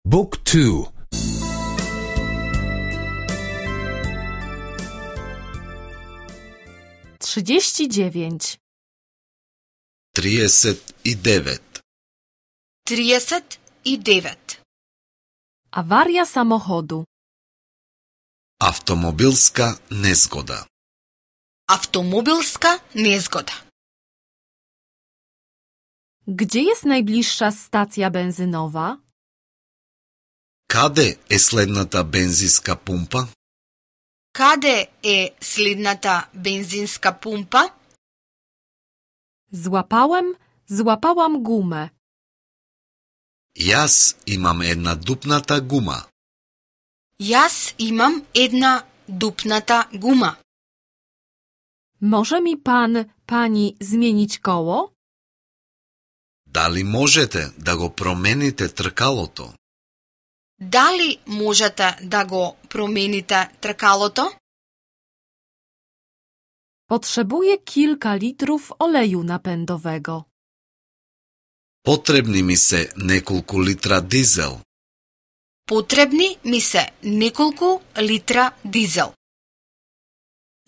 Book 2. 39. 39. 39. Awaria samochodu. Автомобилска незгода. Автомобилска незгода. Gdzie jest najbliższa stacja benzynowa? Каде е следната бензинска пумпа? Каде е следната бензинска пумпа? Złapałam gumę. Јас имам една дупната гума. Јас имам една дупната гума. Może mi pani zmienić koło? Дали можете да го промените тркалото? Дали можете да го промените тркалото? Potrzebuję kilka litrów oleju napędowego. Потребни ми се неколку литра дизел. Потребни ми се неколку литра дизел.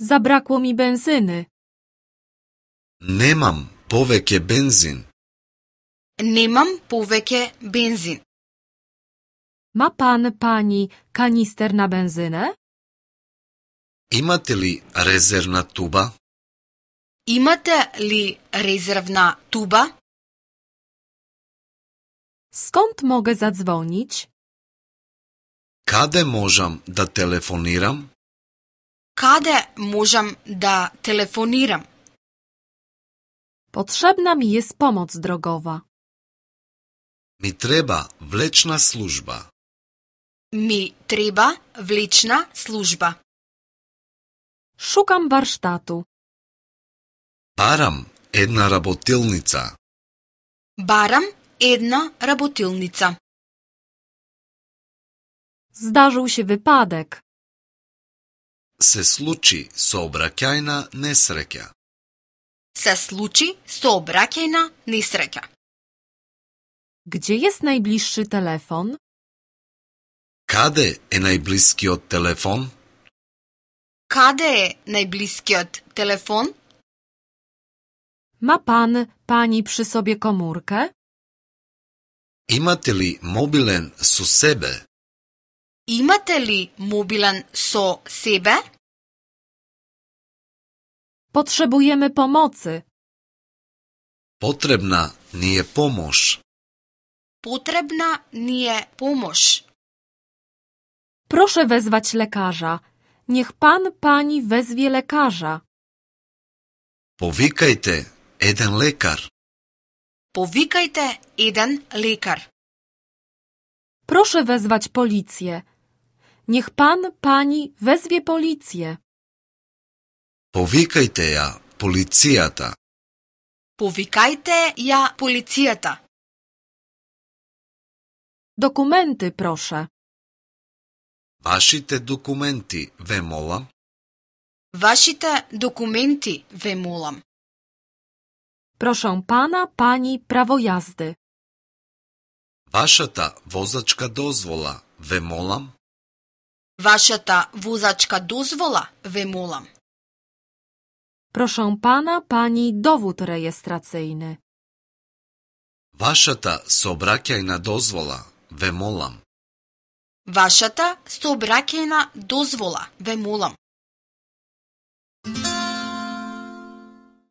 Zabrakło mi benzyny. Немам повеќе бензин. Немам повеќе бензин. Ma pani kanister na benzynę? Имате ли резервна туба? Имате ли резервна туба? Skąd mogę zadzwonić? Каде можам да телефонирам? Каде можам да телефонирам? Potrzebna mi jest pomoc drogowa. Ми треба влечна служба. Ми треба влечна служба. Szukam warsztatu. Барам една работилница. Барам една работилница. Zdarzył się wypadek. Се случи сообраќајна несреќа. Се случи сообраќајна несреќа. Gdzie jest najbliższy telefon? Каде е најблискиот телефон? Каде е најблискиот телефон? Ma pani przy sobie komórkę? Имате ли мобилен со себе? Имате ли мобилен со себе? Potrzebujemy pomocy. Потребна ни е помош. Потребна ни е помош. Proszę wezwać lekarza. Niech pani wezwie lekarza. Повикајте еден лекар. Повикајте еден лекар. Proszę wezwać policję. Niech pani wezwie policję. Повикајте ја полицијата. Повикајте ја полицијата. Dokumenty, proszę. Вашите документи, ве молам. Вашите документи, ве молам. Proszę pani prawo jazdy. Вашата возачка дозвола, ве молам. Вашата возачка дозвола, ве молам. Proszę pani dowód rejestracyjny. Вашата сообраќајна дозвола, ве молам. Вашата сообраќајна дозвола, ве молам.